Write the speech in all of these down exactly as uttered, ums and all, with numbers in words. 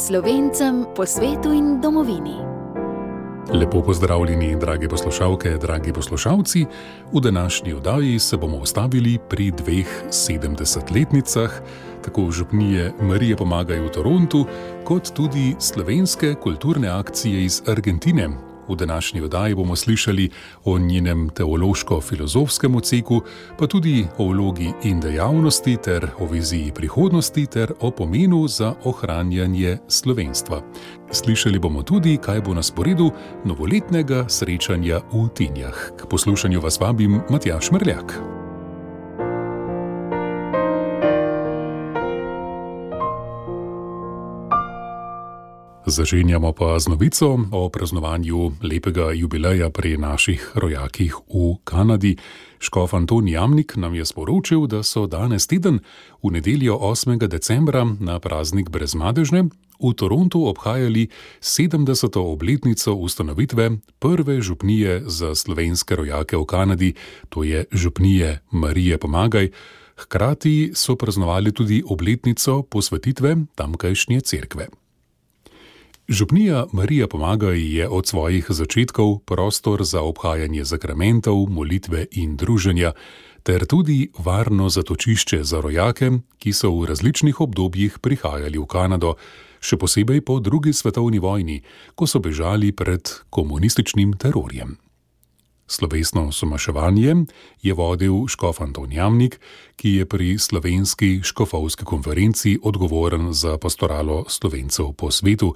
Slovencem po svetu in domovini. Lepo pozdravljeni, drage poslušalke, dragi poslušalci. V današnji oddaji se bomo ustavili pri dveh sedemdesetletnicah, tako župnije Marije Pomagaj v Torontu, kot tudi slovenske kulturne akcije iz Argentine. V današnji oddaji bomo slišali o njenem teološko-filozofskem odseku, pa tudi o vlogi in dejavnosti ter o viziji prihodnosti ter o pomenu za ohranjanje slovenstva. Slišali bomo tudi, kaj bo na sporedu novoletnega srečanja v Tinjah. K poslušanju vas vabim Matjaž Mrljak. Začenjamo pa z novico o praznovanju lepega jubileja pri naših rojakih v Kanadi. Škof Anton Jamnik nam je sporočil, da so danes teden, v nedeljo osmega decembra, na praznik Brezmadežne, v Torontu obhajali sedemdeseto obletnico ustanovitve prve župnije za slovenske rojake v Kanadi, to je župnije Marije Pomagaj. Hkrati so praznovali tudi obletnico posvetitve tamkajšnje cerkve. Župnija Marija Pomagaj je od svojih začetkov prostor za obhajanje zakramentov, molitve in druženja, ter tudi varno zatočišče za rojake, ki so v različnih obdobjih prihajali v Kanado, še posebej po drugi svetovni vojni, ko so bežali pred komunističnim terorjem. Slovesno somaševanje je vodil škof Anton Jamnik, ki je pri slovenski škofovski konferenci odgovoren za pastoralo Slovencev po svetu.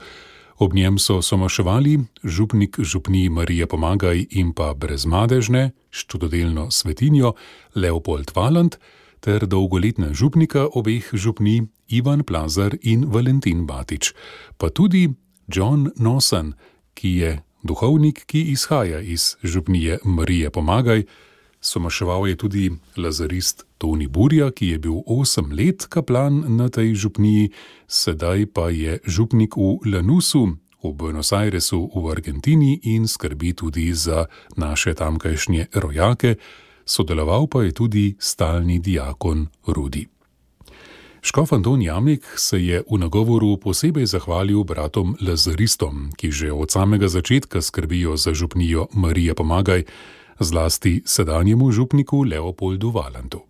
Ob njem so somaševali župnik župniji Marije Pomagaj in pa Brezmadežne, čudodelno svetinjo Leopold Valant, ter dolgoletna župnika obeh župnij Ivan Plazar in Valentin Batič, pa tudi John Nosan, ki je duhovnik, ki izhaja iz župnije Marije Pomagaj. Somaševal je tudi lazarist Toni Burja, ki je bil osem let kaplan na tej župniji, sedaj pa je župnik v Lanusu, v Buenos Airesu v Argentini in skrbi tudi za naše tamkajšnje rojake, sodeloval pa je tudi stalni diakon Rudi. Škof Anton Jamnik se je v nagovoru posebej zahvalil bratom lazaristom, ki že od samega začetka skrbijo za župnijo Marije Pomagaj, zlasti sedanjemu župniku Leopoldu Valantu.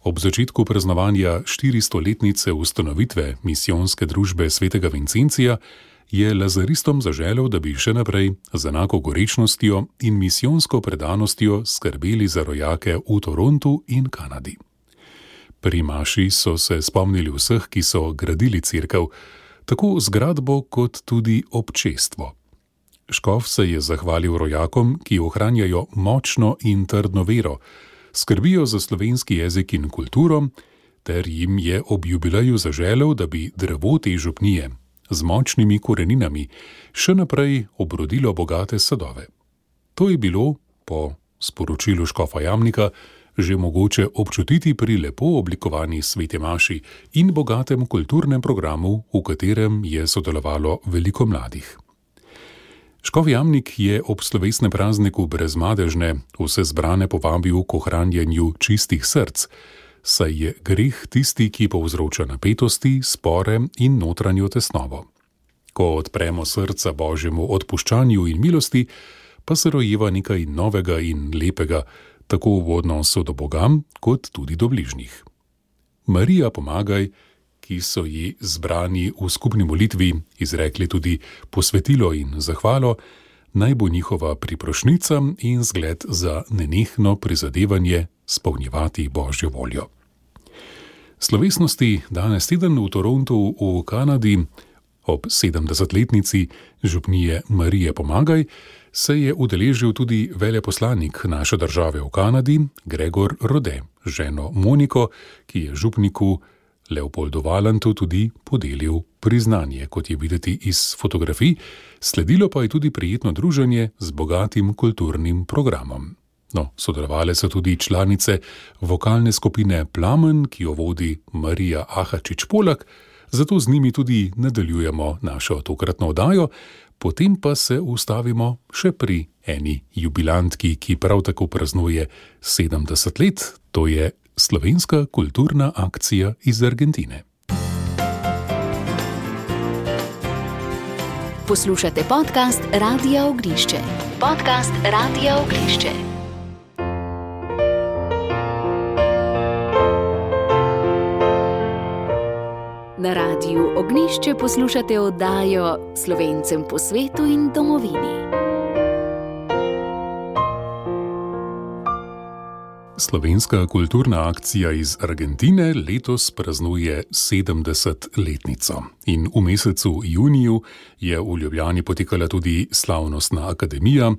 Ob začetku praznovanja štiristoletnice ustanovitve misijonske družbe svetega Vincencija je lazaristom zaželel, da bi še naprej z enako gorečnostjo in misijonsko predanostjo skrbeli za rojake v Torontu in Kanadi. Pri maši so se spomnili vseh, ki so gradili cerkev, tako zgradbo kot tudi občestvo. Škof se je zahvalil rojakom, ki ohranjajo močno in trdno vero, skrbijo za slovenski jezik in kulturo, ter jim je ob jubileju zaželel, da bi drevo te župnije z močnimi koreninami še naprej obrodilo bogate sadove. To je bilo, po sporočilu škofa Jamnika, že mogoče občutiti pri lepo oblikovani sveti maši in bogatem kulturnem programu, v katerem je sodelovalo veliko mladih. Škof Jamnik je ob slovesnem prazniku Brezmadežne vse zbrane povabil k ohranjanju čistih src, saj je greh tisti, ki povzroča napetosti, spore in notranjo tesnobo. Ko odpremo srca Božjemu odpuščanju in milosti, pa se rojeva nekaj novega in lepega, tako v odnosu do Boga, kot tudi do bližnjih. Marija Pomagaj, ki so ji zbrani v skupni molitvi izrekli tudi posvetilo in zahvalo, naj bo njihova priprošnica in zgled za nenehno prizadevanje spolnjevati Božjo voljo. Slovesnosti danes teden v Torontu v Kanadi ob sedemdesetletnici župnije Marije Pomagaj se je udeležil tudi veleposlanik naše države v Kanadi, Gregor Rode, ženo Moniko, ki je župniku Leopoldu Valantu tudi podelil priznanje, kot je videti iz fotografij, sledilo pa je tudi prijetno druženje z bogatim kulturnim programom. No, sodelovale so tudi članice vokalne skupine Plamen, ki jo vodi Marija Ahačič-Polak, zato z njimi tudi nadaljujemo našo tokratno oddajo, potem pa se ustavimo še pri eni jubilantki, ki prav tako praznuje sedemdeset let, to je slovenska kulturna akcija iz Argentine. Poslušate podcast Radia Ognišče. Podcast Radia Ognišče. Na Radiu Ognišče poslušate oddajo Slovencem po svetu in domovini. Slovenska kulturna akcija iz Argentine letos praznuje sedemdesetletnico. In v mesecu juniju je v Ljubljani potekala tudi slavnostna akademija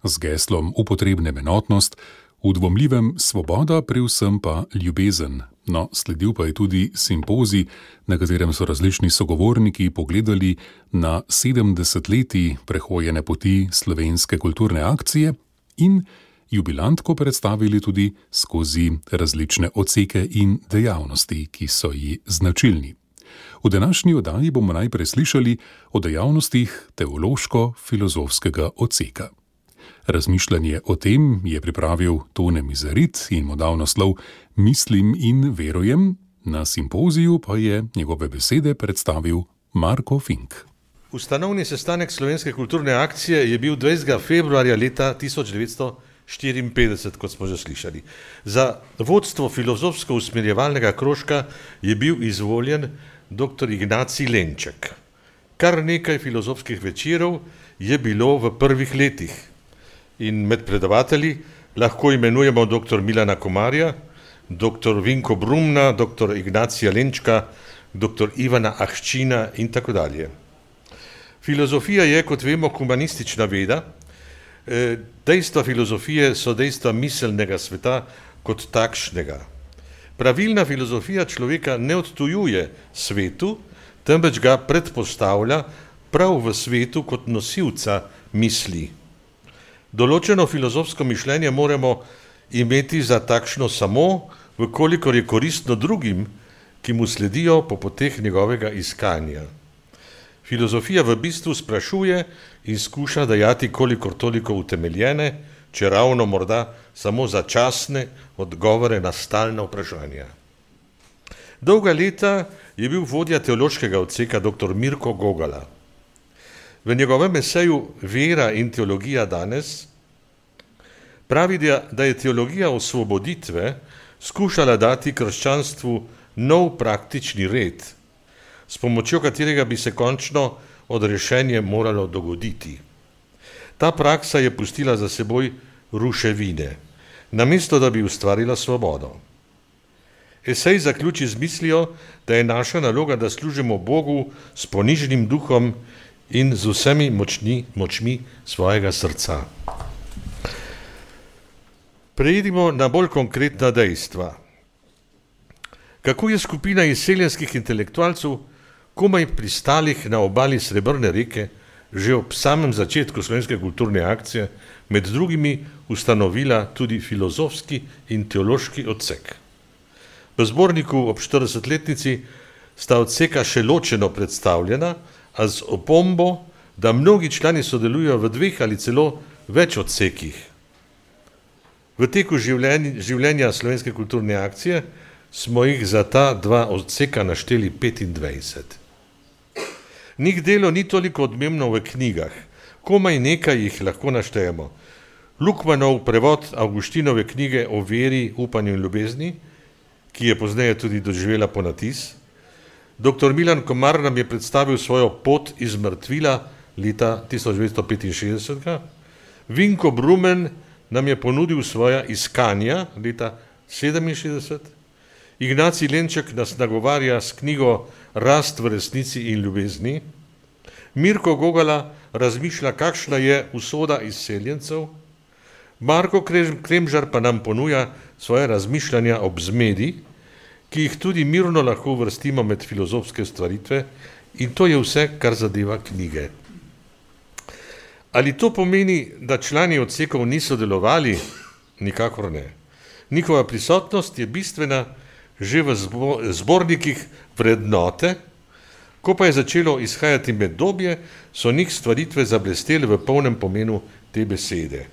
z geslom Upotrebnem enotnost, v dvomljivem svoboda, pri vsem pa ljubezen. No, sledil pa je tudi simpozij, na katerem so različni sogovorniki pogledali na sedemdesetletji prehojene poti slovenske kulturne akcije in jubilantko predstavili tudi skozi različne odseke in dejavnosti, ki so ji značilni. V današnji oddaji bomo najprej slišali o dejavnostih teološko-filozofskega odseka. Razmišljanje o tem je pripravil Tone Mizarit in mu dal naslov Mislim in verujem, na simpoziju pa je njegove besede predstavil Marko Fink. Ustanovni sestanek Slovenske kulturne akcije je bil dvajsetega februarja leta tisoč devetsto štiriinpetdeset, kot smo že slišali. Za vodstvo filozofsko-usmerjevalnega krožka je bil izvoljen doktor Ignacij Lenček. Kar nekaj filozofskih večerov je bilo v prvih letih in med predavatelji lahko imenujemo doktor Milana Komarja, doktor Vinko Brumna, doktor Ignacija Lenčka, doktor Ivana Ahčina in tako dalje. Filozofija je, kot vemo, humanistična veda. Dejstva filozofije so dejstva miselnega sveta kot takšnega. Pravilna filozofija človeka ne odtujuje svetu, temveč ga predpostavlja prav v svetu kot nosilca misli. Določeno filozofsko mišljenje moramo imeti za takšno samo, vkolikor je koristno drugim, ki mu sledijo po poteh njegovega iskanja. Filozofija v bistvu sprašuje in skuša dajati kolikor toliko utemeljene, če ravno morda samo začasne odgovore na stalna vprašanja. Dolga leta je bil vodja teološkega odseka doktor Mirko Gogala. V njegovem eseju Vera in teologija danes pravi, da je teologija osvoboditve skušala dati krščanstvu nov praktični red, s pomočjo katerega bi se končno odrešenje moralo dogoditi. Ta praksa je pustila za seboj ruševine, namesto da bi ustvarila svobodo. Esej zaključi z mislijo, da je naša naloga, da služimo Bogu s ponižnim duhom in z vsemi močni, močmi svojega srca. Preidimo na bolj konkretna dejstva. Kako je skupina izseljenskih intelektualcev komaj pristalih na obali Srebrne reke že ob samem začetku slovenske kulturne akcije med drugimi ustanovila tudi filozofski in teološki odsek. V zborniku ob štiridesetletnici sta odseka še ločeno predstavljena, a z opombo, da mnogi člani sodelujo v dveh ali celo več odsekih. V teku življenja, življenja slovenske kulturne akcije smo jih za ta dva odseka našteli petindvajset. Njih delo ni toliko odmevno v knjigah, komaj nekaj jih lahko naštejemo. Lukmanov prevod Avguštinove knjige o veri, upanju in ljubezni, ki je pozneje tudi doživela ponatis. Doktor Milan Komar nam je predstavil svojo pot iz mrtvila leta tisoč devetsto petinšestdeset. Vinko Brumen nam je ponudil svoja iskanja leta sedeminšestdeset. Ignacij Lenček nas nagovarja s knjigo Rast v resnici in ljubezni. Mirko Gogala razmišlja, kakšna je usoda izseljencev. Marko Kremžar pa nam ponuja svoje razmišljanja ob zmedi, ki jih tudi mirno lahko uvrstimo med filozofske stvaritve, in to je vse, kar zadeva knjige. Ali to pomeni, da člani odsekov niso delovali? Nikakor ne. Njihova prisotnost je bistvena že v zbornikih vrednote, ko pa je začelo izhajati Medobje, so njih stvaritve zablestele v polnem pomenu te besede.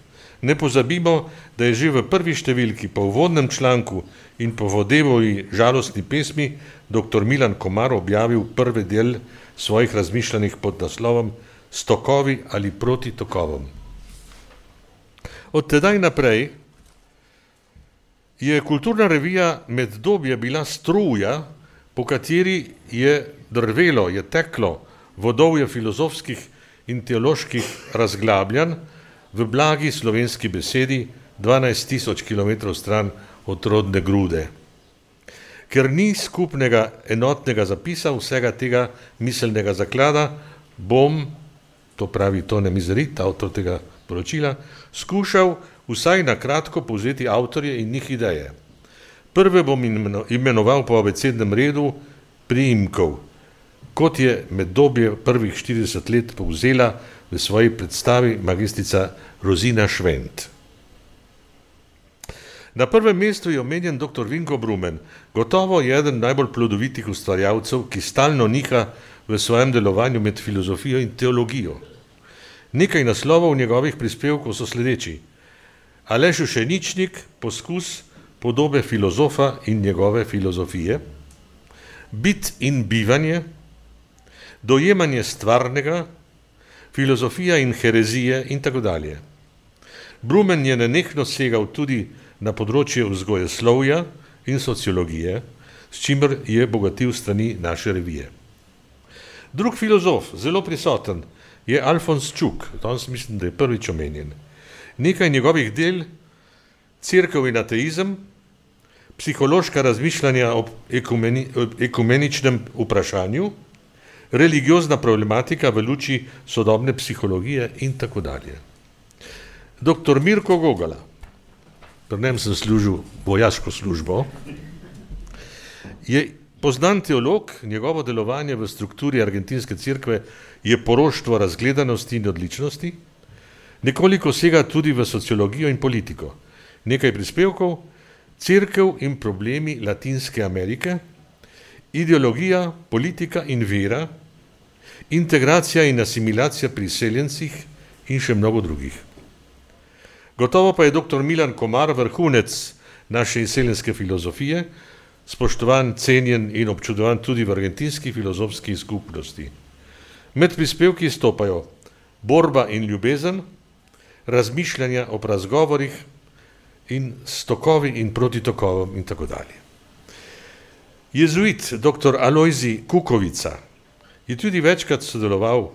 Ne pozabimo, da je že v prvi številki po uvodnem članku in po Vodevovi žalostni pesmi doktor Milan Komar objavil prvi del svojih razmišljanj pod naslovom s tokovi ali proti tokovom. Od tedaj naprej je kulturna revija Meddobje bila struja, po kateri je drvelo, je teklo vodovje filozofskih in teoloških razglabljanj v blagi slovenski besedi dvanajst tisoč kilometrov stran od rodne Grude. Ker ni skupnega enotnega zapisa vsega tega miselnega zaklada, bom, to pravi Tone Mizerit, avtor tega poročila, skušal vsaj na kratko povzeti avtorje in njih ideje. Prve bom imenoval po abecednem redu priimkov, kot je Meddobje prvih štirideset let povzela v svoji predstavi magistриca Rozina Švent. Na prvem mestu je omenjen doktor Vinko Brumen, gotovo je eden najbolj plodovitih ustvarjalcev, ki stalno niha v svojem delovanju med filozofijo in teologijo. Nekaj naslovov njegovih prispevkov so sledeči: Aleš Ušeničnik, poskus podobe filozofa in njegove filozofije, Bit in bivanje, Dojemanje stvarnega, Filozofija in herezije in tako dalje. Brumen je nenehno segal tudi na področje vzgojeslovja in sociologije, s čimer je bogatil strani naše revije. Drug filozof, zelo prisoten, je Alfons Čuk, danes mislim, da je prvič omenjen. Nekaj njegovih del, Cerkev in ateizem, psihološka razmišljanja o ekumeni, ekumeničnem vprašanju, religiozna problematika v luči sodobne psihologije in tako dalje. Doktor Mirko Gogala, pri njem sem služil vojaško službo, je poznan teolog, njegovo delovanje v strukturi argentinske cerkve je poroštvo razgledanosti in odličnosti, nekoliko sega tudi v sociologijo in politiko. Nekaj prispevkov, Cerkev in problemi Latinske Amerike, Ideologija, politika in vera, Integracija in asimilacija pri seljencih in še mnogo drugih. Gotovo pa je doktor Milan Komar vrhunec naše izseljenske filozofije, spoštovan, cenjen in občudovan tudi v argentinski filozofski skupnosti. Med prispevki stopajo Borba in ljubezen, Razmišljanja o razgovorih in stokovi in proti tokovom in tako dalje. Jezuit doktor Alojzij Kukovica je tudi večkrat sodeloval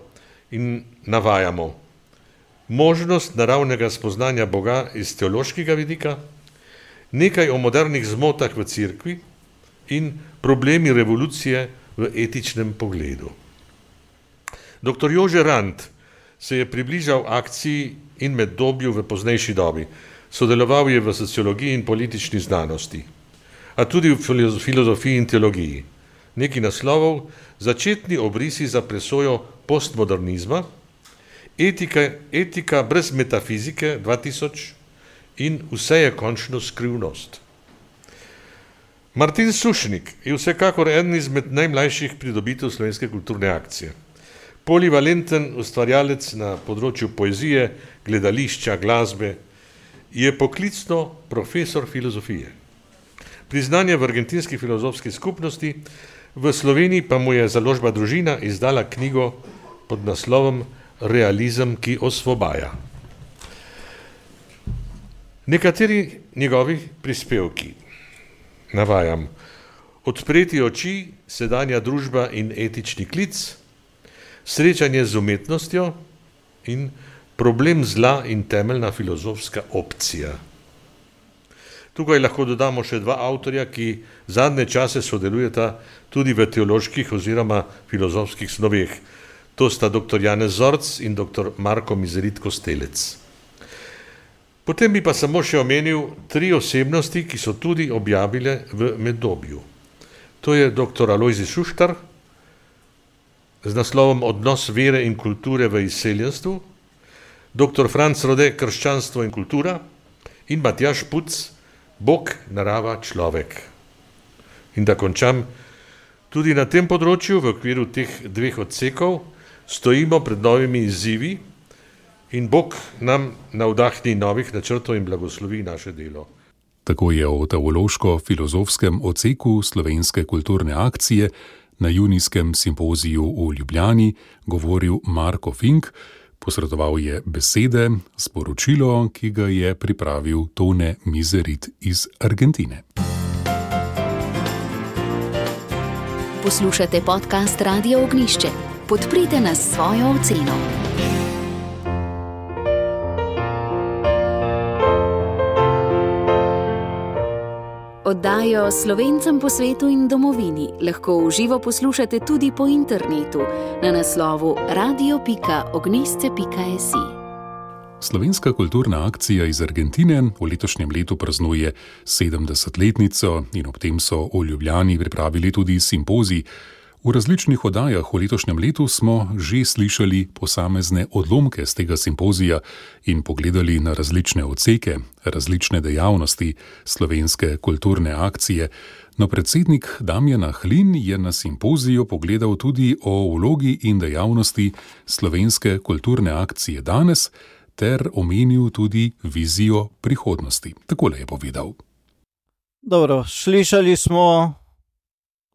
in navajamo možnost naravnega spoznanja Boga iz teološkega vidika, nekaj o modernih zmotah v cerkvi in problemi revolucije v etičnem pogledu. Doktor Jože Rant se je približal akciji in Meddobju v poznejši dobi. Sodeloval je v sociologiji in politični znanosti, a tudi v filozofiji in teologiji. Neki naslovov, začetni obrisi za presojo postmodernizma, etika, etika brez metafizike dva tisoč in vse je končno skrivnost. Martin Sušnik je vsekakor eden izmed najmlajših pridobitev slovenske kulturne akcije. Polivalenten ustvarjalec na področju poezije, gledališča, glasbe, je poklicno profesor filozofije. Priznanje v argentinski filozofski skupnosti, v Sloveniji pa mu je založba Družina izdala knjigo pod naslovom Realizem, ki osvobaja. Nekateri njegovi prispevki, navajam, Odpreti oči, sedanja družba in etični klic, Srečanje z umetnostjo in Problem zla in temeljna filozofska opcija. Tukaj lahko dodamo še dva avtorja, ki zadnje čase sodelujeta tudi v teoloških oziroma filozofskih snoveh. To sta doktor Janez Zorc in doktor Marko Mizerit Kostelec. Potem bi pa samo še omenil tri osebnosti, ki so tudi objavile v Meddobju. To je doktor Alojzij Šuštar z naslovom Odnos vere in kulture v izseljenstvu, doktor Franc Rode Krščanstvo in kultura in Matjaž Puc Bog, narava, človek. In da končam, tudi na tem področju v okviru teh dveh odsekov stojimo pred novimi izzivi in Bog nam navdahni novih načrtov in blagoslovi naše delo. Tako je o teološko-filozofskem odseku slovenske kulturne akcije Na junijskem simpoziju v Ljubljani govoril Marko Fink, posredoval je besede, sporočilo, ki ga je pripravil Tone Miserit iz Argentine. Poslušate podcast Radia Ognjišče. Podprite nas s svojo oceno. Oddajo Slovencem po svetu in domovini lahko v živo poslušate tudi po internetu na naslovu radio pika ognjišče pika si. Slovenska kulturna akcija iz Argentine v letošnjem letu praznuje sedemdesetletnico in ob tem so v Ljubljani pripravili tudi simpozij. V različnih oddajah v letošnjem letu smo že slišali posamezne odlomke z tega simpozija in pogledali na različne odseke, različne dejavnosti slovenske kulturne akcije. No, predsednik Damjan Ahlin je na simpoziju pogledal tudi o vlogi in dejavnosti slovenske kulturne akcije danes ter omenil tudi vizijo prihodnosti. Takole je povedal. Dobro, slišali smo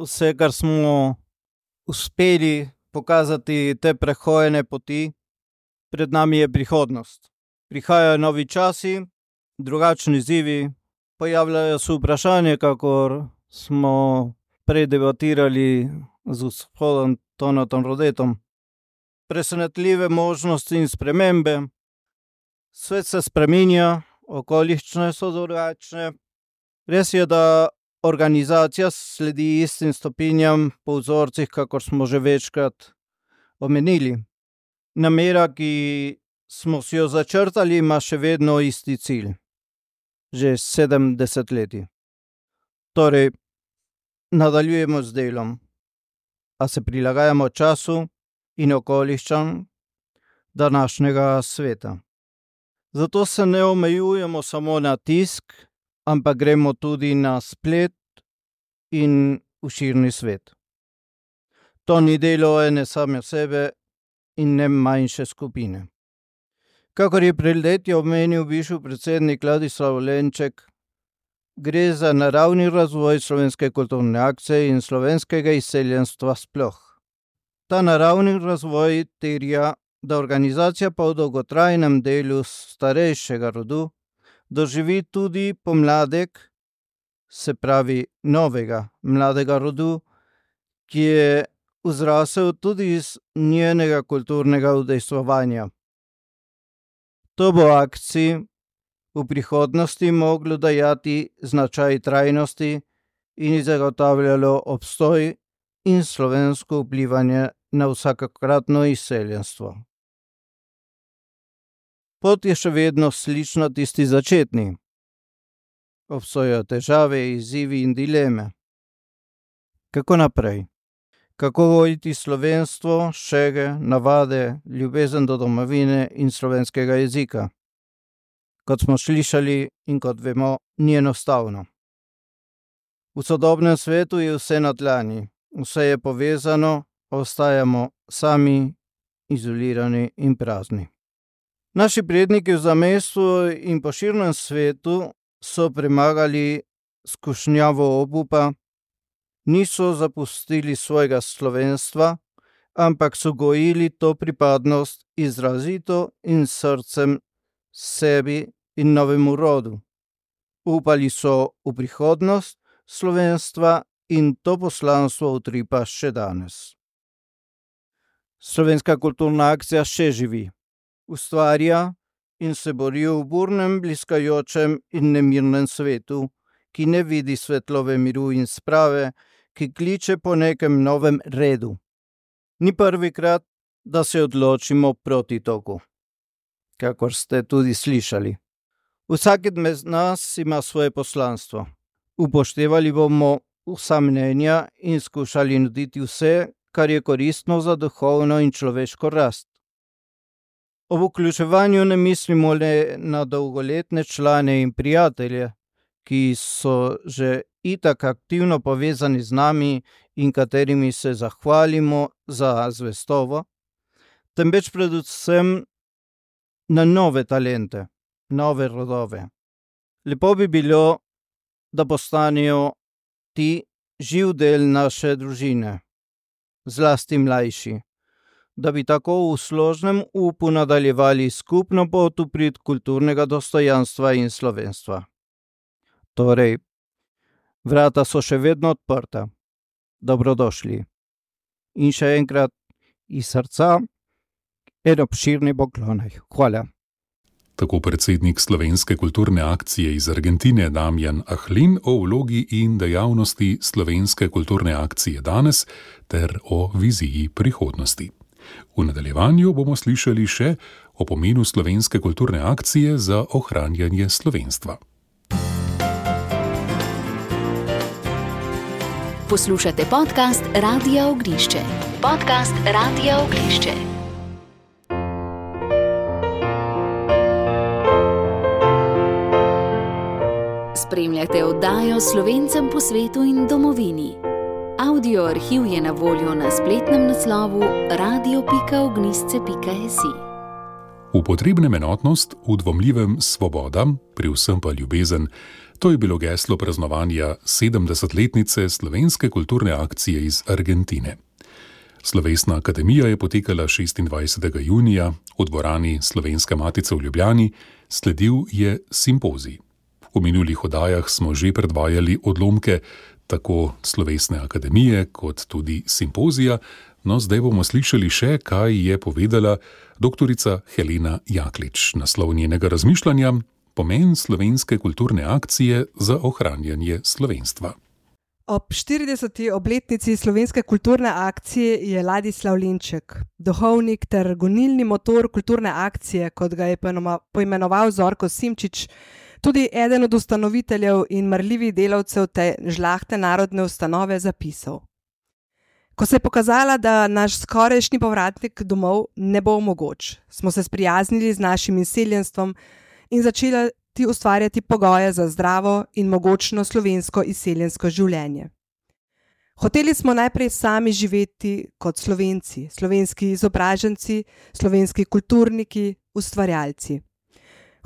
vse, kar smo uspeli pokazati te prehojene poti. Pred nami je prihodnost. Prihajajo novi časi, drugačni izzivi, pojavljajo se vprašanje, kakor smo prej debatirali z gospodom Tonetom Rodetom. Presenetljive možnosti in spremembe. Svet se spreminja, okoliščine so drugačne. Res je, da organizacija sledi istim stopinjam po vzorcih, kakor smo že večkrat omenili. Namera, ki smo si jo začrtali, ima še vedno isti cilj. Že sedem desetletij. Torej, nadaljujemo z delom, a se prilagajamo času in okoliščam današnjega sveta. Zato se ne omejujemo samo na tisk, ampak gremo tudi na splet in v širni svet. To ni delo ene same sebe in ne manjše skupine. Kakor je pred leti omenil bivši predsednik Ladislav Lenček, gre za naravni razvoj slovenske kulturne akcije in slovenskega izseljenstva sploh. Ta naravni razvoj terja, da organizacija po dolgotrajnem delu starejšega rodu doživi tudi pomladek, se pravi novega mladega rodu, ki je vzrasel tudi iz njenega kulturnega udejstvovanja. To bo akciji v prihodnosti moglo dajati značaj trajnosti in zagotavljalo obstoj in slovensko vplivanje na vsakokratno izseljenstvo. Pot je še vedno slična tisti začetni. Obstajajo težave, izzivi in dileme. Kako naprej? Kako gojiti slovenstvo, šege, navade, ljubezen do domovine in slovenskega jezika? Kot smo slišali in kot vemo, ni enostavno. V sodobnem svetu je vse na dlani, vse je povezano, ostajamo sami, izolirani in prazni. Naši predniki v zamejstvu in po širnem svetu so premagali skušnjavo obupa, niso zapustili svojega slovenstva, ampak so gojili to pripadnost izrazito in srcem sebi in novemu rodu. Upali so v prihodnost slovenstva in to poslanstvo utripa še danes. Slovenska kulturna akcija še živi. Ustvarja in se bori v burnem, bliskajočem in nemirnem svetu, ki ne vidi svetlove miru in sprave, ki kliče po nekem novem redu. Ni prvikrat, da se odločimo proti toku, kakor ste tudi slišali. Vsak med nas ima svoje poslanstvo. Upoštevali bomo vsa mnenja in skušali nuditi vse, kar je koristno za duhovno in človeško rast. Ob vključevanju ne mislimo le na dolgoletne člane in prijatelje, ki so že itak aktivno povezani z nami in katerimi se zahvalimo za zvestobo, temveč predvsem na nove talente, nove rodove. Lepo bi bilo, da postanejo ti živ del naše družine, zlasti mlajši, da bi tako v složnem upu nadaljevali skupno pot v prid kulturnega dostojanstva in slovenstva. Torej, vrata so še vedno odprta. Dobrodošli. In še enkrat iz srca en obširni poklon. Hvala. Tako predsednik Slovenske kulturne akcije iz Argentine Damjan Ahlin o vlogi in dejavnosti Slovenske kulturne akcije danes ter o viziji prihodnosti. V nadaljevanju bomo slišali še o pomenu Slovenske kulturne akcije za ohranjanje slovenstva. Poslušate podcast Radia Ognišče. Podcast Radia Ognišče. Spremljate oddajo Slovencem po svetu in domovini. Audio arhiv je na voljo na spletnem naslovu radio pika ognisce pika si. V potrebnem enotnost, v dvomljivem svoboda, pri vsem pa ljubezen, to je bilo geslo praznovanja sedemdesetletnice Slovenske kulturne akcije iz Argentine. Slovesna akademija je potekala šestindvajsetega junija v dvorani Slovenske matice v Ljubljani, sledil je simpozij. V minulih oddajah smo že predvajali odlomke tako Slovesne akademije kot tudi simpozija, no zdaj bomo slišali še, kaj je povedala doktorica Helena Jaklič. Naslov njenega razmišljanja: pomen Slovenske kulturne akcije za ohranjanje slovenstva. Ob štirideseti obletnici Slovenske kulturne akcije je Ladislav Lenček, duhovnik ter gonilni motor kulturne akcije, kot ga je poimenoval Zorko Simčič, tudi eden od ustanoviteljev in marljivih delavcev te žlahte narodne ustanove, zapisal: Ko se je pokazala, da naš skorajšnji povratnik domov ne bo mogoč, smo se sprijaznili z našim izseljenstvom in začeli ustvarjati pogoje za zdravo in mogočno slovensko izseljensko življenje. Hoteli smo najprej sami živeti kot Slovenci, slovenski izobraženci, slovenski kulturniki, ustvarjalci.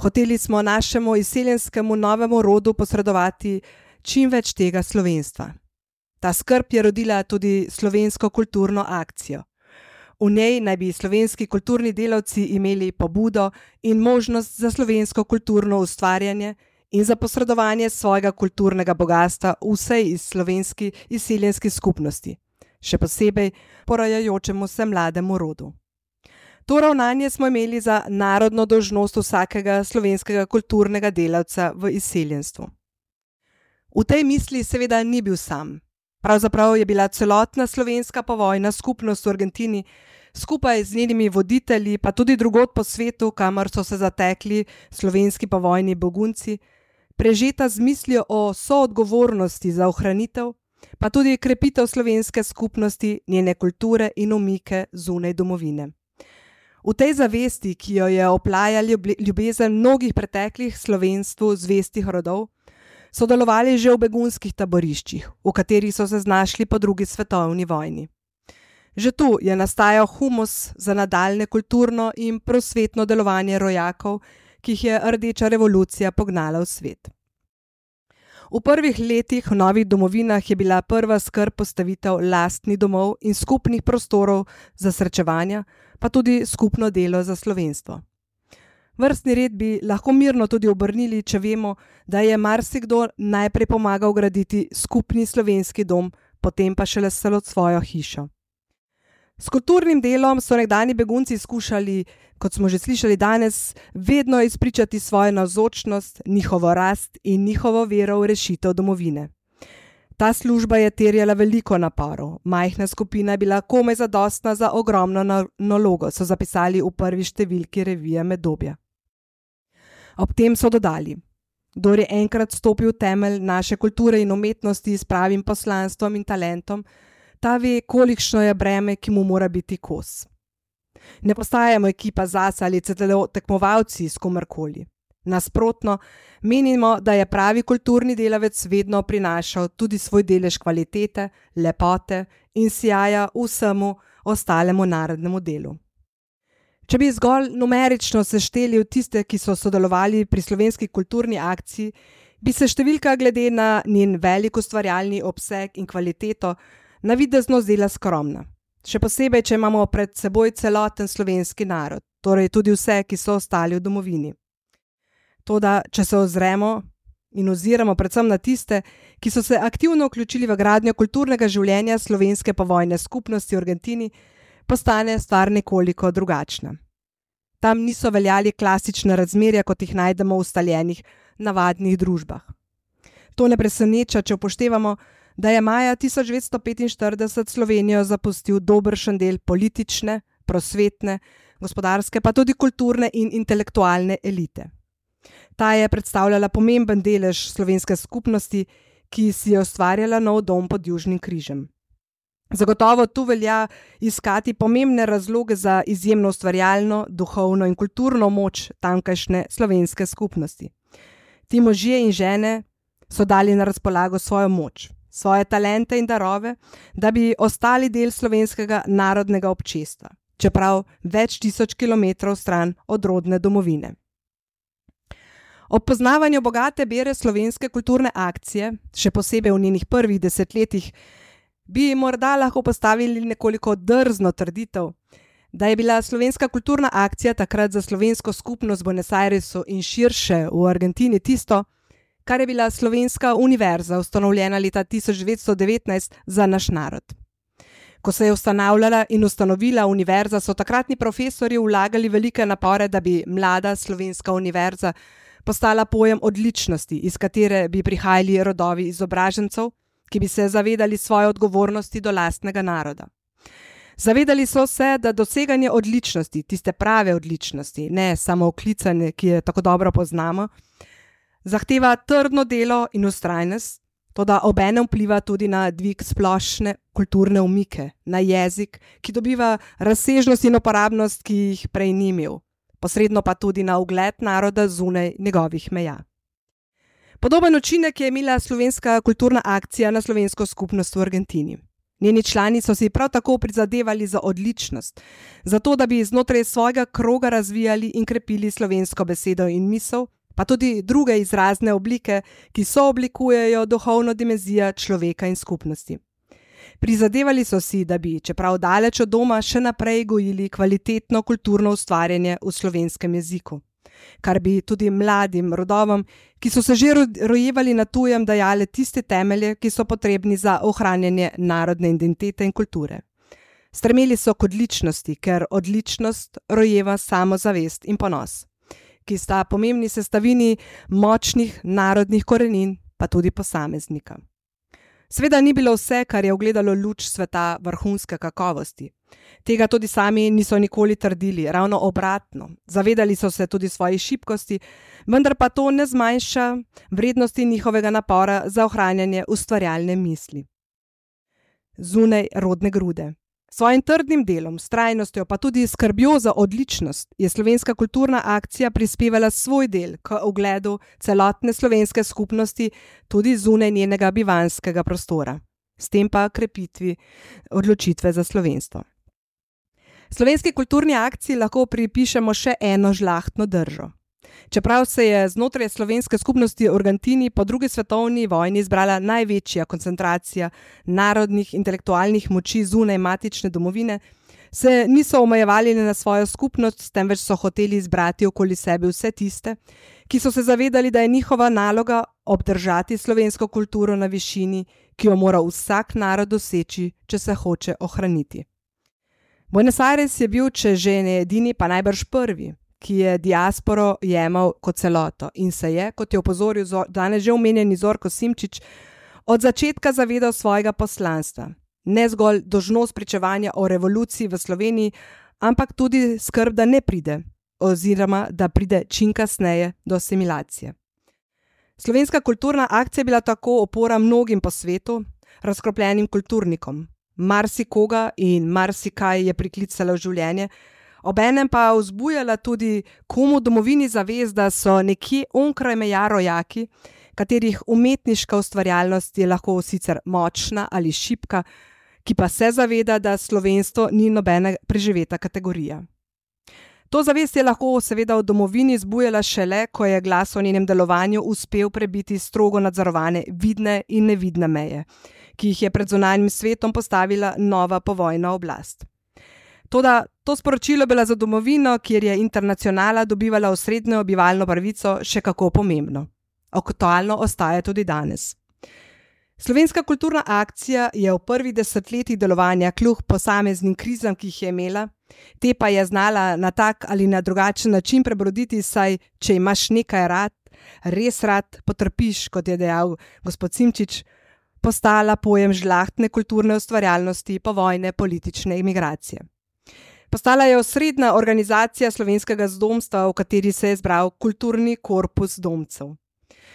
Hoteli smo našemu izseljenskemu novemu rodu posredovati čim več tega slovenstva. Ta skrb je rodila tudi Slovensko kulturno akcijo. V njej naj bi slovenski kulturni delavci imeli pobudo in možnost za slovensko kulturno ustvarjanje in za posredovanje svojega kulturnega bogastva vsej iz slovenski izseljenski skupnosti, še posebej porajajočemu se mlademu rodu. To ravnanje smo imeli za narodno dolžnost vsakega slovenskega kulturnega delavca v izseljenstvu. V tej misli seveda ni bil sam. Pravzaprav je bila celotna slovenska povojna skupnost v Argentini skupaj z njenimi voditelji, pa tudi drugod po svetu, kamor so se zatekli slovenski povojni begunci, prežeta z mislijo o soodgovornosti za ohranitev, pa tudi krepitev slovenske skupnosti, njene kulture in umike zunaj domovine. V tej zavesti, ki jo je oplajala ljubezen mnogih preteklih slovenstvu zvestih rodov, so delovali že v begunskih taboriščih, v katerih so se znašli po drugi svetovni vojni. Že tu je nastajal humus za nadaljne kulturno in prosvetno delovanje rojakov, ki jih je rdeča revolucija pognala v svet. V prvih letih v novih domovinah je bila prva skrb postavitev lastnih domov in skupnih prostorov za srečevanja, pa tudi skupno delo za slovenstvo. Vrstni red bi lahko mirno tudi obrnili, če vemo, da je marsikdo najprej pomagal graditi skupni slovenski dom, potem pa šele svojo hišo. S kulturnim delom so nekdanji begunci skušali, kot smo že slišali danes, vedno izpričati svojo navzočnost, njihovo rast in njihovo vero v rešitev domovine. Ta služba je terjala veliko naporov, majhna skupina je bila komaj zadostna za ogromno nalogo, so zapisali v prvi številki revije Medobja. Ob tem so dodali: kdor je enkrat stopil v temelj naše kulture in umetnosti s pravim poslanstvom in talentom, ta ve, kolikšno je breme, ki mu mora biti kos. Ne postajamo ekipa zase ali celo tekmovalci s komerkoli. Nasprotno, menimo, da je pravi kulturni delavec vedno prinašal tudi svoj delež kvalitete, lepote in sijaja vsemu ostalemu narodnemu delu. Če bi zgolj numerično sešteli v tiste, ki so sodelovali pri Slovenski kulturni akciji, bi se številka glede na njen velik ustvarjalni obseg in kvaliteto navidezno zdela skromna. še posebej, če imamo pred seboj celoten slovenski narod, torej tudi vse, ki so ostali v domovini. Toda, če se ozremo in oziramo predvsem na tiste, ki so se aktivno vključili v gradnjo kulturnega življenja slovenske povojne skupnosti v Argentini, postane stvar nekoliko drugačna. Tam niso veljali klasične razmerja, kot jih najdemo v ustaljenih, navadnih družbah. To ne preseneča, če upoštevamo, da je maja tisoč devetsto petinštirideset Slovenijo zapustil dobršen del politične, prosvetne, gospodarske, pa tudi kulturne in intelektualne elite. Ta je predstavljala pomemben delež slovenske skupnosti, ki si je ustvarjala nov dom pod Južnim križem. Zagotovo tu velja iskati pomembne razloge za izjemno ustvarjalno, duhovno in kulturno moč tamkajšnje slovenske skupnosti. Ti možje in žene so dali na razpolago svojo moč, svoje talente in darove, da bi ostali del slovenskega narodnega občestva, čeprav več tisoč kilometrov stran od rodne domovine. Ob poznavanju bogate bere slovenske kulturne akcije, še posebej v njenih prvih desetletjih, bi morda lahko postavili nekoliko drzno trditev, da je bila slovenska kulturna akcija takrat za slovensko skupnost v Buenos Airesu in širše v Argentini tisto, kar je bila slovenska univerza, ustanovljena leta tisoč devetsto devetnajst za naš narod. Ko se je ustanavljala in ustanovila univerza, so takratni profesorji vlagali velike napore, da bi mlada slovenska univerza postala pojem odličnosti, iz katere bi prihajali rodovi izobražencev, ki bi se zavedali svoje odgovornosti do lastnega naroda. Zavedali so se, da doseganje odličnosti, tiste prave odličnosti, ne samo oklicanje, ki je tako dobro poznamo, zahteva trdno delo in vztrajnost, toda obenem vpliva tudi na dvig splošne kulturne umike, na jezik, ki dobiva razsežnost in uporabnost, ki jih prej ni imel, posredno pa tudi na ugled naroda zunaj njegovih meja. Podoben učinek je imela slovenska kulturna akcija na slovensko skupnost v Argentini. Njeni člani so si prav tako prizadevali za odličnost, zato da bi znotraj svojega kroga razvijali in krepili slovensko besedo in misel, pa tudi druge izrazne oblike, ki sooblikujejo duhovno dimenzijo človeka in skupnosti. Prizadevali so si, da bi, čeprav daleč od doma, še naprej gojili kvalitetno kulturno ustvarjanje v slovenskem jeziku, kar bi tudi mladim rodovom, ki so se že rojevali na tujem, dajale tiste temelje, ki so potrebni za ohranjanje narodne identitete in kulture. Stremeli so k odličnosti, ker odličnost rojeva samozavest in ponos, ki sta pomembni sestavini močnih narodnih korenin, pa tudi posameznika. Sveda ni bilo vse, kar je ugledalo luč sveta vrhunske kakovosti. Tega tudi sami niso nikoli trdili, ravno obratno. Zavedali so se tudi svojih šibkosti, vendar pa to ne zmanjša vrednosti njihovega napora za ohranjanje ustvarjalne misli. Zunaj rodne grude. Svojim trdnim delom, vztrajnostjo pa tudi skrbjo za odličnost je slovenska kulturna akcija prispevala svoj del k ugledu celotne slovenske skupnosti tudi zunaj njenega bivanjskega prostora, s tem pa krepitvi odločitve za slovenstvo. Slovenski kulturni akciji lahko pripišemo še eno žlahtno držo. Čeprav se je znotraj slovenske skupnosti v Argentini po drugi svetovni vojni izbrala največja koncentracija narodnih intelektualnih moči zunaj matične domovine, se niso omejevali na svojo skupnost, temveč so hoteli izbrati okoli sebe vse tiste, ki so se zavedali, da je njihova naloga obdržati slovensko kulturo na višini, ki jo mora vsak narod doseči, če se hoče ohraniti. Buenos Aires je bil, če že ne edini, pa najbrž prvi, ki je diasporo jemal kot celoto in se je, kot je opozoril danes že omenjeni Zorko Simčič, od začetka zavedal svojega poslanstva. Ne zgolj dolžnost pričevanja o revoluciji v Sloveniji, ampak tudi skrb, da ne pride, oziroma da pride čim kasneje do asimilacije. Slovenska kulturna akcija je bila tako opora mnogim po svetu, razkropljenim kulturnikom. Marsikoga in marsikaj je priklicala v življenje, obenem pa vzbujala tudi komu domovini zavest, da so nekje onkraj meja rojaki, katerih umetniška ustvarjalnost je lahko sicer močna ali šibka, ki pa se zaveda, da slovenstvo ni nobena preživeta kategorija. To zavest je lahko seveda v domovini zbujala šele, ko je glas o njenem delovanju uspel prebiti strogo nadzorovane vidne in nevidne meje, ki jih je pred zunanjim svetom postavila nova povojna oblast. Toda to sporočilo bila za domovino, kjer je internacionala dobivala osrednjo bivalno pravico, še kako pomembno. Aktualno ostaja tudi danes. Slovenska kulturna akcija je v prvih desetletjih delovanja kljub posameznim krizam, ki jih je imela, te pa je znala na tak ali na drugačen način prebroditi, saj če imaš nekaj rad, res rad, potrpiš, kot je dejal gospod Simčič, postala pojem žlahtne kulturne ustvarjalnosti povojne politične imigracije. Postala je osrednja organizacija slovenskega zdomstva, v kateri se je zbral kulturni korpus domcev.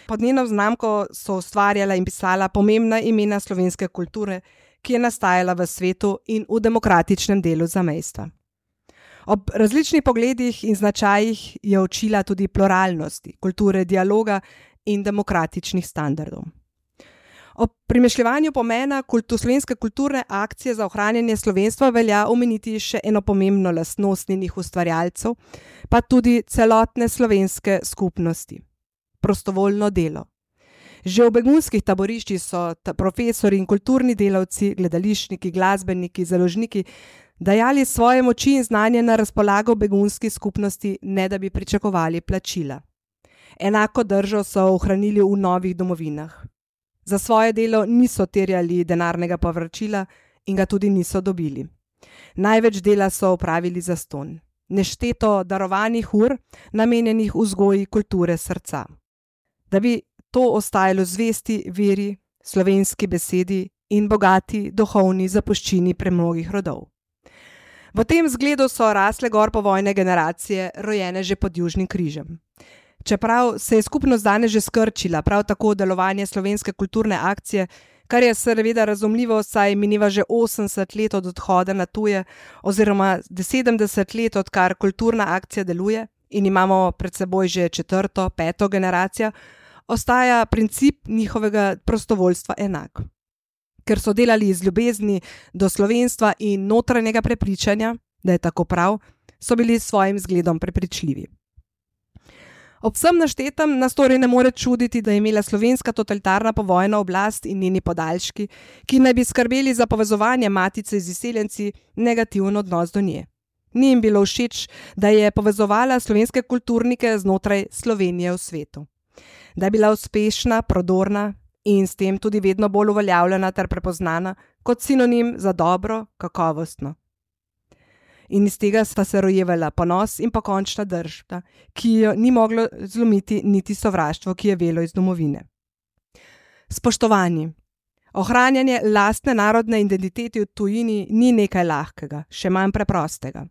Pod njeno znamko so ustvarjala in pisala pomembna imena slovenske kulture, ki je nastajala v svetu in v demokratičnem delu zamejstva. Ob različnih pogledih in značajih je učila tudi pluralnosti, kulture dialoga in demokratičnih standardov. Ob premišljevanju pomena kultu, slovenske kulturne akcije za ohranjanje slovenstva velja omeniti še eno pomembno lastnost njenih ustvarjalcev, pa tudi celotne slovenske skupnosti. Prostovoljno delo. Že v begunskih taboriščih so profesori in kulturni delavci, gledališčniki, glasbeniki, založniki dajali svoje moči in znanje na razpolago begunski skupnosti, ne da bi pričakovali plačila. Enako držo so ohranili v novih domovinah. Za svoje delo niso terjali denarnega povračila in ga tudi niso dobili. Največ dela so opravili zastonj. Nešteto darovanih ur, namenjenih vzgoji kulture srca. Da bi to ostajalo zvesti veri, slovenski besedi in bogati duhovni zapuščini premnogih rodov. V tem zgledu so rasle gor povojne generacije, rojene že pod Južnim križem. Čeprav se je skupnost danes že skrčila, prav tako delovanje slovenske kulturne akcije, kar je seveda razumljivo, saj mineva že osemdeset let od odhoda na tuje oziroma sedemdeset let, odkar kulturna akcija deluje in imamo pred seboj že četrto, peto generacijo, ostaja princip njihovega prostovoljstva enak. Ker so delali iz ljubezni do slovenstva in notranjega prepričanja, da je tako prav, so bili s svojim zgledom prepričljivi. Ob vsem naštetem nas torej ne more čuditi, da je imela slovenska totalitarna povojna oblast in njeni podaljški, ki naj bi skrbeli za povezovanje matice z izseljenci, negativen odnos do nje. Ni jim bilo všeč, da je povezovala slovenske kulturnike znotraj Slovenije v svetu. Da je bila uspešna, prodorna in s tem tudi vedno bolj uveljavljena ter prepoznana kot sinonim za dobro, kakovostno. In iz tega sta se rojevala ponos in pokončna drža, ki jo ni moglo zlomiti niti sovraštvo, ki je velo iz domovine. Spoštovani, ohranjanje lastne narodne identitete v tujini ni nekaj lahkega, še manj preprostega.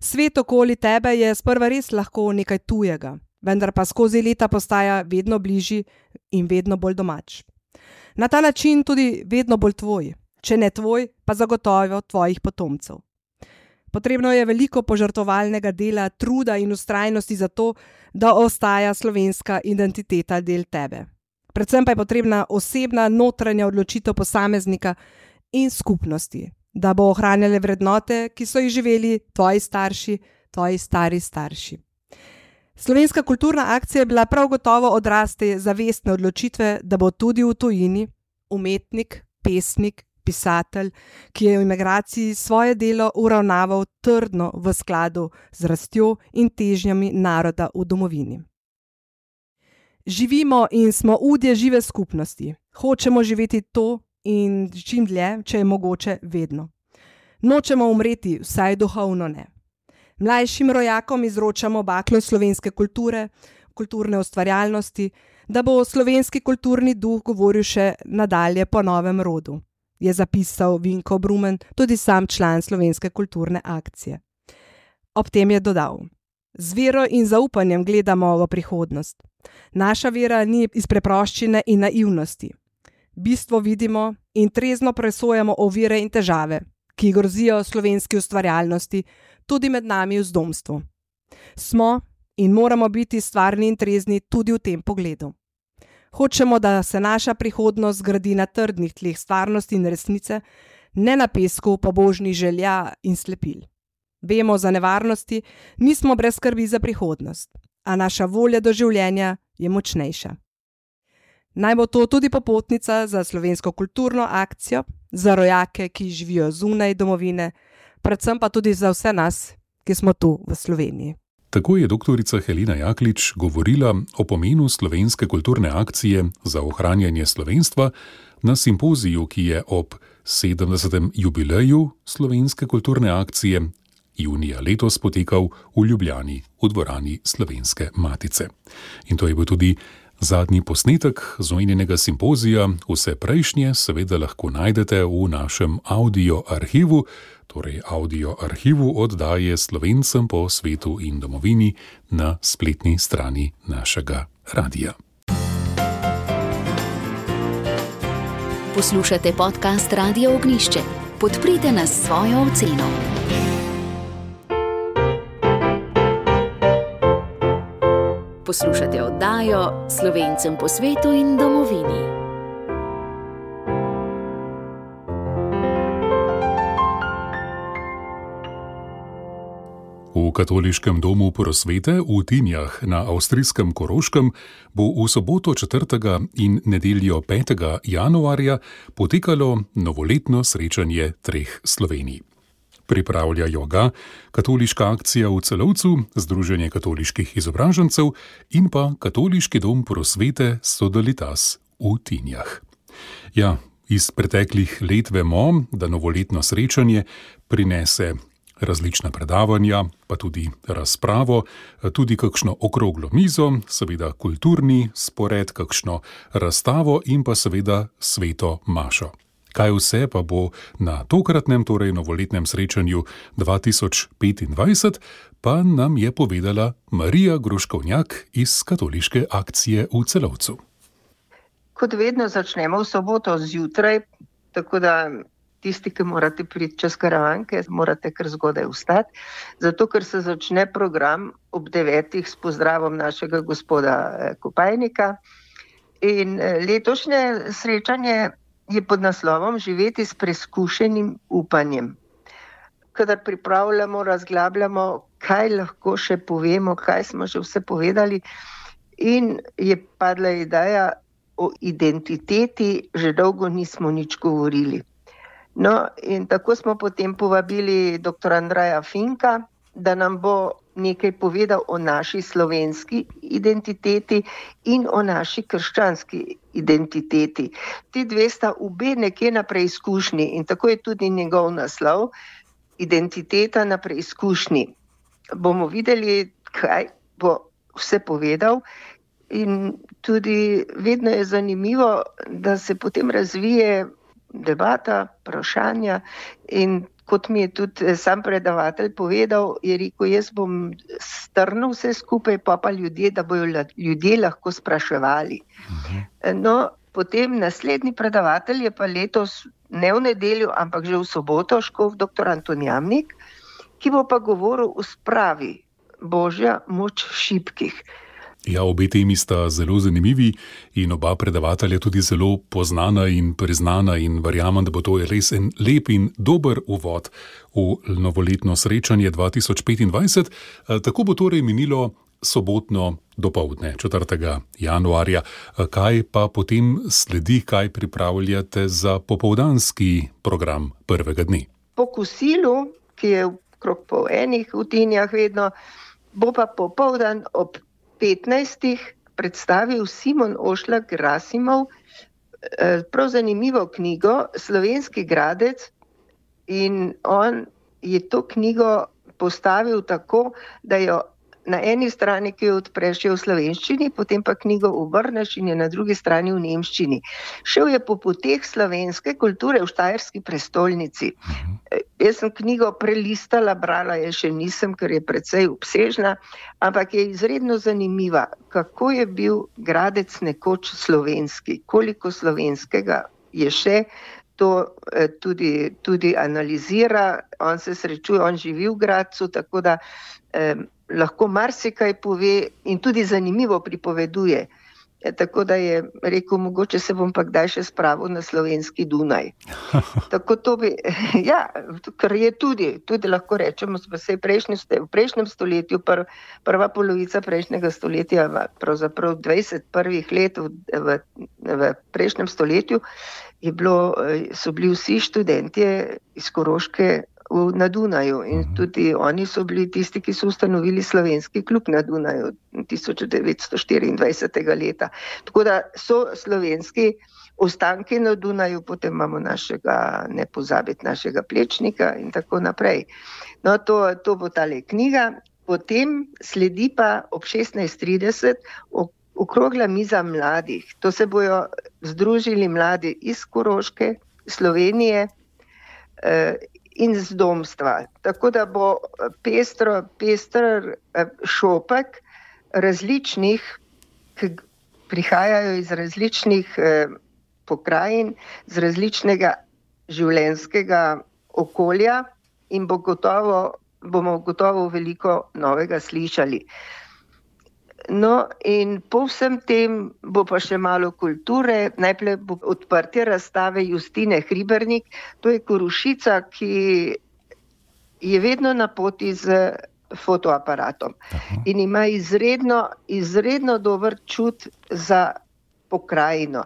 Svet okoli tebe je sprva res lahko nekaj tujega, vendar pa skozi leta postaja vedno bližji in vedno bolj domač. Na ta način tudi vedno bolj tvoj, če ne tvoj, pa zagotovo tvojih potomcev. Potrebno je veliko požrtvovalnega dela, truda in vztrajnosti za to, da ostaja slovenska identiteta del tebe. Predvsem pa je potrebna osebna notranja odločitev posameznika in skupnosti, da bo ohranjale vrednote, ki so jih živeli tvoji starši, tvoji stari starši. Slovenska kulturna akcija je bila prav gotovo odraz te zavestne odločitve, da bo tudi v tujini umetnik, pesnik, pisatelj, ki je v emigraciji svoje delo uravnaval trdno v skladu z rastjo in težnjami naroda v domovini. Živimo in smo udje žive skupnosti. Hočemo živeti to in čim dlje, če je mogoče, vedno. Nočemo umreti, vsaj duhovno ne. Mlajšim rojakom izročamo baklo slovenske kulture, kulturne ustvarjalnosti, da bo slovenski kulturni duh govoril še nadalje po novem rodu, je zapisal Vinko Brumen, tudi sam član Slovenske kulturne akcije. Ob tem je dodal: z vero in zaupanjem gledamo v prihodnost. Naša vera ni iz preproščine in naivnosti. Bistvo vidimo in trezno presojamo ovire in težave, ki grozijo slovenski ustvarjalnosti, tudi med nami v zdomstvu. Smo in moramo biti stvarni in trezni tudi v tem pogledu. Hočemo, da se naša prihodnost gradi na trdnih tleh stvarnosti in resnice, ne na pesku pobožnih želja in slepil. vemo za nevarnosti, nismo brez skrbi za prihodnost, a naša volja do življenja je močnejša. Naj bo to tudi popotnica za slovensko kulturno akcijo, za rojake, ki živijo zunaj domovine, predvsem pa tudi za vse nas, ki smo tu v Sloveniji. Tako je doktorica Helena Jaklič govorila o pomenu slovenske kulturne akcije za ohranjanje slovenstva na simpoziju, ki je ob sedemdesetem jubileju slovenske kulturne akcije junija letos potekal v Ljubljani v dvorani Slovenske matice. In to je bil tudi zadnji posnetek z omenjenega simpozija. Vse prejšnje seveda lahko najdete v našem audio arhivu, torej audio arhivu oddaje Slovencem po svetu in domovini na spletni strani našega radia. Poslušate podcast Radia Ognjišče. Podprite nas s svojo oceno. Poslušate oddajo Slovencem po svetu in domovini. V Katoliškem domu prosvete v Tinjah na avstrijskem Koroškem bo v soboto četrtega in nedeljo petega januarja potekalo novoletno srečanje treh Slovenij. Pripravljajo ga Katoliška akcija v Celovcu, Združenje katoliških izobražencev in pa Katoliški dom prosvete Sodalitas v Tinjah. Ja, iz preteklih let vemo, da novoletno srečanje prinese različna predavanja, pa tudi razpravo, tudi kakšno okroglo mizo, seveda kulturni spored, kakšno razstavo in pa seveda sveto mašo. Kaj vse pa bo na tokratnem, torej novoletnem srečanju dva tisoč petindvajset, pa nam je povedala Marija Gruškovnjak iz Katoliške akcije v Celovcu. Kot vedno začnemo v soboto zjutraj, tako da tisti, ki morate priti čez Karavanke, morate kar zgodaj vstati, zato ker se začne program ob devetih s pozdravom našega gospoda Kopajnika. In letošnje srečanje je pod naslovom Živeti s preizkušenim upanjem. Kadar pripravljamo, razglabljamo, kaj lahko še povemo, kaj smo že vse povedali, in je padla ideja o identiteti, že dolgo nismo nič govorili. No, in tako smo potem povabili dr. Andreja Finka, da nam bo nekaj povedal o naši slovenski identiteti in o naši krščanski identiteti. Ti dve sta obe nekje na preizkušnji in tako je tudi njegov naslov, Identiteta na preizkušnji. Bomo videli, kaj bo vse povedal, in tudi vedno je zanimivo, da se potem razvije debata, vprašanja, in kot mi je tudi sam predavatelj povedal, je rekel, jaz bom strnil vse skupaj, pa pa ljudje, da bojo ljudje lahko spraševali. No, potem naslednji predavatelj je pa letos ne v nedeljo, ampak že v soboto, škof doktor Anton Jamnik, ki bo pa govoril o spravi, Božja moč šibkih. Ja, obe temi sta zelo zanimivi in oba predavatelja tudi zelo poznana in priznana in verjamem, da bo to res en lep in dober uvod v novoletno srečanje dva tisoč petindvajset. Tako bo torej minilo sobotno dopoldne, četrtega januarja. Kaj pa potem sledi, kaj pripravljate za popoldanski program prvega dne? Po kosilu, ki je okrog pol enih v Tinjah vedno, bo pa popoldan ob petnajstih predstavil Simon Ošlak Rasimov prav zanimivo knjigo Slovenski gradec, in on je to knjigo postavil tako, da jo na eni strani, ki jo odpreš, je v slovenščini, potem pa knjigo obrneš in je na drugi strani v nemščini. Šel je po poteh slovenske kulture v štajerski prestolnici. Jaz sem knjigo prelistala, brala je še nisem, ker je precej obsežna, ampak je izredno zanimiva, kako je bil Gradec nekoč slovenski, koliko slovenskega je še, to tudi, tudi analizira, on se srečuje, on živi v Gradcu, tako da eh, lahko marsikaj pove in tudi zanimivo pripoveduje. Tako da je rekel, mogoče se bom pa kdaj še spravil na slovenski Dunaj. Tako to bi, ja, kar je tudi, tudi lahko rečemo, v prejšnjem, v prejšnjem stoletju, pr, prva polovica prejšnjega stoletja, pravzaprav dvajset prvih let v, v, v prejšnjem stoletju, je bilo, so bili vsi študentje iz Koroške na Dunaju in tudi oni so bili tisti, ki so ustanovili slovenski klub na Dunaju tisoč devetsto štiriindvajsetega leta. Tako da so slovenski ostanki na Dunaju, potem imamo našega, ne pozabiti, našega Plečnika in tako naprej. No, to, to bo tale knjiga. Potem sledi pa ob šestnajst trideset okrogla miza mladih. To se bojo združili mladi iz Koroške, Slovenije, eh, in z domstva. Tako da bo pestro, pester šopek različnih, ki prihajajo iz različnih eh, pokrajin, z različnega življenjskega okolja in bo gotovo, bomo gotovo veliko novega slišali. No, in po vsem tem bo pa še malo kulture. Najprej bo odprtje razstave Justine Hribernik. To je Korošica, ki je vedno na poti z fotoaparatom. Aha. In ima izredno, izredno dober čut za pokrajino.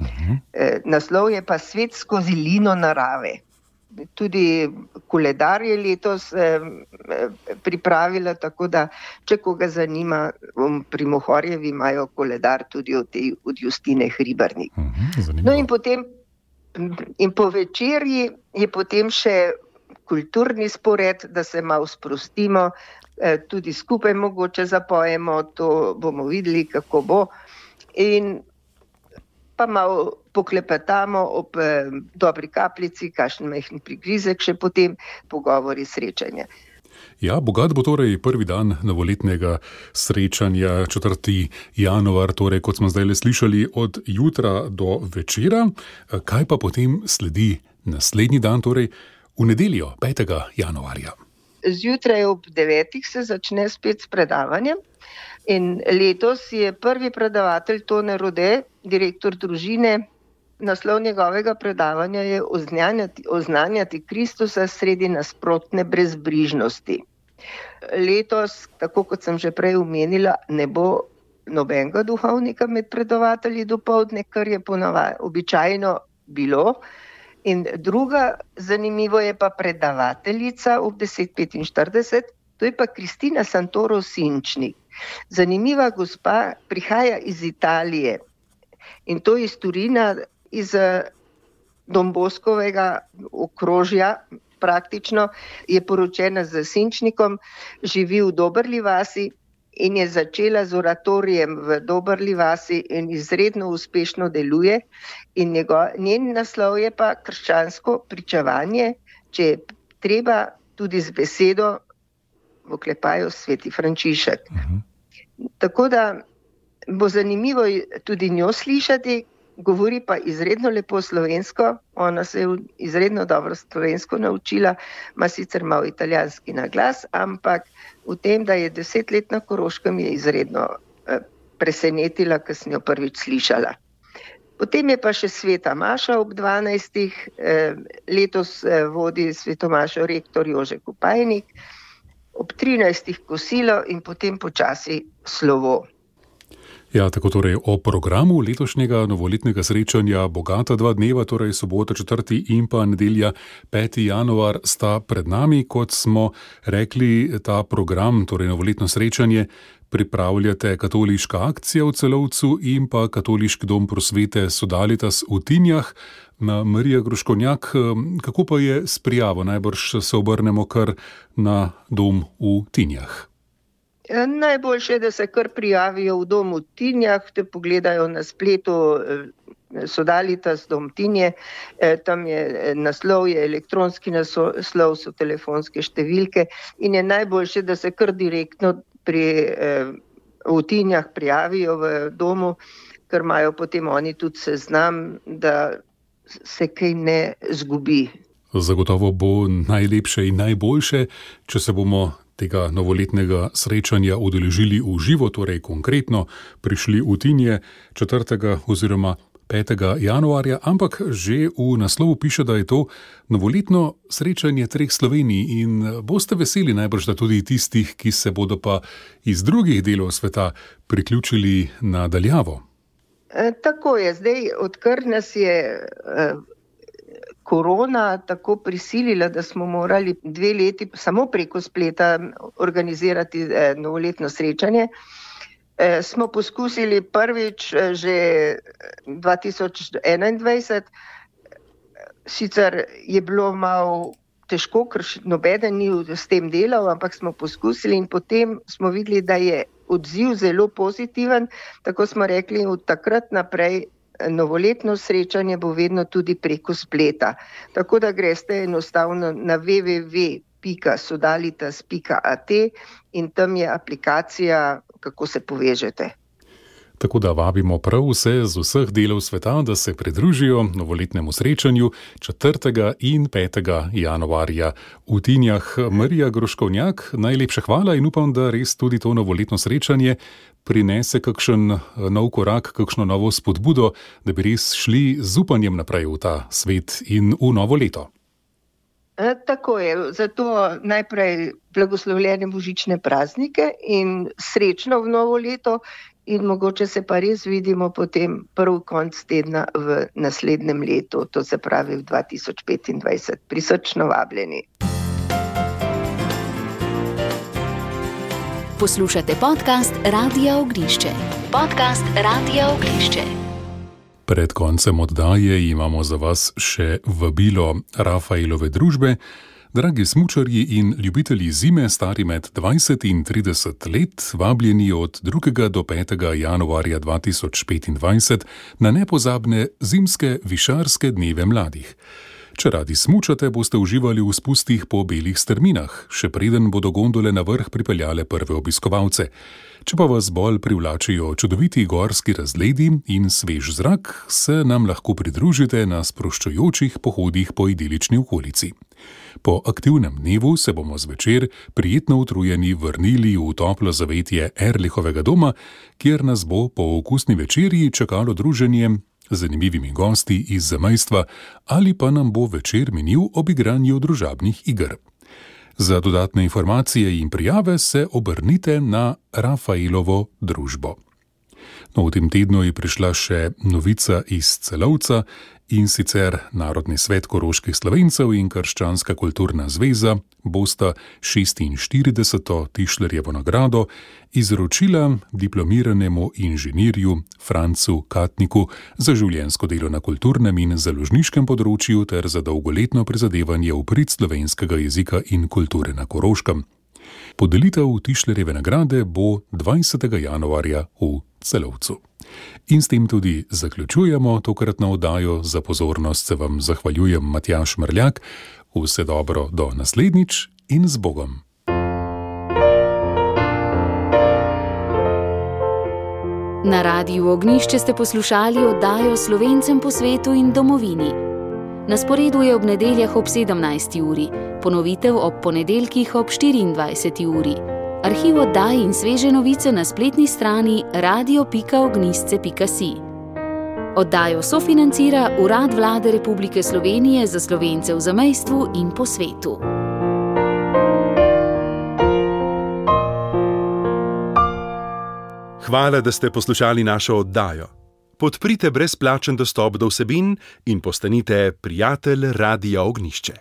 Aha. Naslov je pa Svet skozi lino narave. Tudi koledar je letos eh, pripravila, tako da, če koga zanima, pri Mohorjevi imajo koledar tudi od, tej, od Justine Hribernik. Uh-huh, no in potem, in po večerji je potem še kulturni spored, da se malo sprostimo, eh, tudi skupaj mogoče zapojemo, to bomo videli, kako bo. In pa malo poklepetamo ob eh, dobri kapljici, kakšen majhen prigrizek, še potem pogovori, srečanja. Ja, bogat bo torej prvi dan novoletnega srečanja, četrti januar, torej kot smo zdaj le slišali, od jutra do večera. Kaj pa potem sledi naslednji dan, torej v nedeljo, petega januarja? Zjutraj ob devetih se začne spet s predavanjem. In letos je prvi predavatelj Tone Rode, direktor družine. Naslov njegovega predavanja je oznanjati, oznanjati Kristusa sredi nasprotne brezbrižnosti. Letos, tako kot sem že prej omenila, ne bo nobenega duhovnika med predavatelji dopoldne, kar je ponavadi običajno bilo. In druga, zanimivo je pa predavateljica ob deset petinštirideset, to je pa Kristina Santoro Sinčnik. Zanimiva gospa, prihaja iz Italije in to iz Turina, iz Domboskovega okrožja praktično, je poročena z Sinčnikom, živi v Dobrli vasi in je začela z oratorijem v Dobrli vasi in izredno uspešno deluje. In njego, njen naslov je pa krščansko pričevanje, če je treba tudi z besedo, v oklepaju Sveti Frančišek. Uh-huh. Tako da bo zanimivo tudi njo slišati, govori pa izredno lepo slovensko, ona se je izredno dobro slovensko naučila, ima sicer malo italijanski naglas, ampak v tem, da je deset let na Koroškem, je izredno eh, presenetila, ko sem jo prvič slišala. Potem je pa še Sveta Maša ob dvanajstih, eh, letos eh, vodi Sveto Mašo rektor Jože Kopajnik, ob trinajstih kosilo in potem počasi slovo. Ja, tako torej o programu letošnjega novoletnega srečanja bogata dva dneva, torej sobota četrti in pa nedelja peti januar sta pred nami. Kot smo rekli, ta program, torej novoletno srečanje, pripravljate Katoliška akcija v Celovcu in pa Katoliški dom prosvete Sodalitas v Tinjah. Marija Gruškovnjak, kako pa je s prijavo? Najbrž se obrnemo kar na dom v Tinjah. Najboljše je, da se kar prijavijo v domu v Tinjah, te pogledajo na spletu Sodalitas dom Tinje, tam je naslov, je elektronski naslov, so telefonske številke in je najboljše, da se kar direktno pri, v Tinjah prijavijo v domu, ker imajo potem oni tudi seznam, da se kaj ne zgubi. Zagotovo bo najlepše in najboljše, če se bomo tega novoletnega srečanja udeležili v živo, torej konkretno prišli v Tinje četrtega oziroma petega januarja, ampak že v naslovu piše, da je to novoletno srečanje treh Slovenij in boste veseli najbrž, da tudi tistih, ki se bodo pa iz drugih delov sveta priključili na daljavo. E, tako je, zdaj odkar nas je e, korona tako prisilila, da smo morali dve leti samo preko spleta organizirati e, novoletno srečanje, smo poskusili prvič že dva tisoč enaindvajset, sicer je bilo malo težko, ker nobeden ni s tem delal, ampak smo poskusili in potem smo videli, da je odziv zelo pozitiven, tako smo rekli, od takrat naprej novoletno srečanje bo vedno tudi preko spleta. Tako da greste enostavno na w w w pika sodalitas pika a t in tam je aplikacija, kako se povežete. Tako da vabimo prav vse z vseh delov sveta, da se pridružijo novoletnemu srečanju četrtega in petega januarja v Tinjah. Marija Groškovnjak, najlepša hvala in upam, da res tudi to novoletno srečanje prinese kakšen nov korak, kakšno novo spodbudo, da bi res šli z upanjem naprej v ta svet in v novo leto. E, tako je, zato najprej blagoslovljene božične praznike in srečno v novo leto in mogoče se pa res vidimo potem prvi konc tedna v naslednjem letu, to se pravi v dva tisoč petindvajset. Prisrčno vabljeni. Poslušate podcast Radia Ognjišče. Podcast Radia Ognjišče. Pred koncem oddaje imamo za vas še vabilo Rafaelove družbe. Dragi smučarji in ljubitelji zime, stari med dvajset in trideset let, vabljeni od drugega do petega januarja dva tisoč petindvajset na nepozabne zimske višarske dneve mladih. Če radi smučate, boste uživali v spustih po belih strminah, še preden bodo gondole na vrh pripeljale prve obiskovalce. Če pa vas bolj privlačijo čudoviti gorski razgledi in svež zrak, se nam lahko pridružite na sproščujočih pohodih po idilični okolici. Po aktivnem dnevu se bomo zvečer prijetno utrujeni vrnili v toplo zavetje Erlichovega doma, kjer nas bo po okusni večerji čakalo druženje z zanimivimi gosti iz zamejstva ali pa nam bo večer minil ob igranju družabnih iger. Za dodatne informacije in prijave se obrnite na Rafaelovo družbo. No, v tem tednu je prišla še novica iz Celovca, in sicer Narodni svet koroških Slovencev in Krščanska kulturna zveza bosta šestinštirideseto Tišlerjevo nagrado izročila diplomiranemu inženirju Francu Katniku za življenjsko delo na kulturnem in založniškem področju ter za dolgoletno prizadevanje v prid slovenskega jezika in kulture na Koroškem. Podelitev Tišlerjeve nagrade bo dvajsetega januarja v Celovcu. In s tem tudi zaključujemo tokratno oddajo. Za pozornost se vam zahvaljujem Matjaž Mrljak. Vse dobro do naslednjič in z Bogom. Na Radiu Ognjišče ste poslušali oddajo Slovencem po svetu in domovini. Na sporedu je ob nedeljah ob sedemnajsti uri, ponovitev ob ponedeljkih ob štiriindvajseti uri. Arhiv oddaj in sveže novice na spletni strani radio pika ognjišče pika si. Oddajo sofinancira Urad Vlade Republike Slovenije za Slovence v zamejstvu in po svetu. Hvala, da ste poslušali našo oddajo. Podprite brezplačen dostop do vsebin in postanite prijatelj Radia Ognjišče.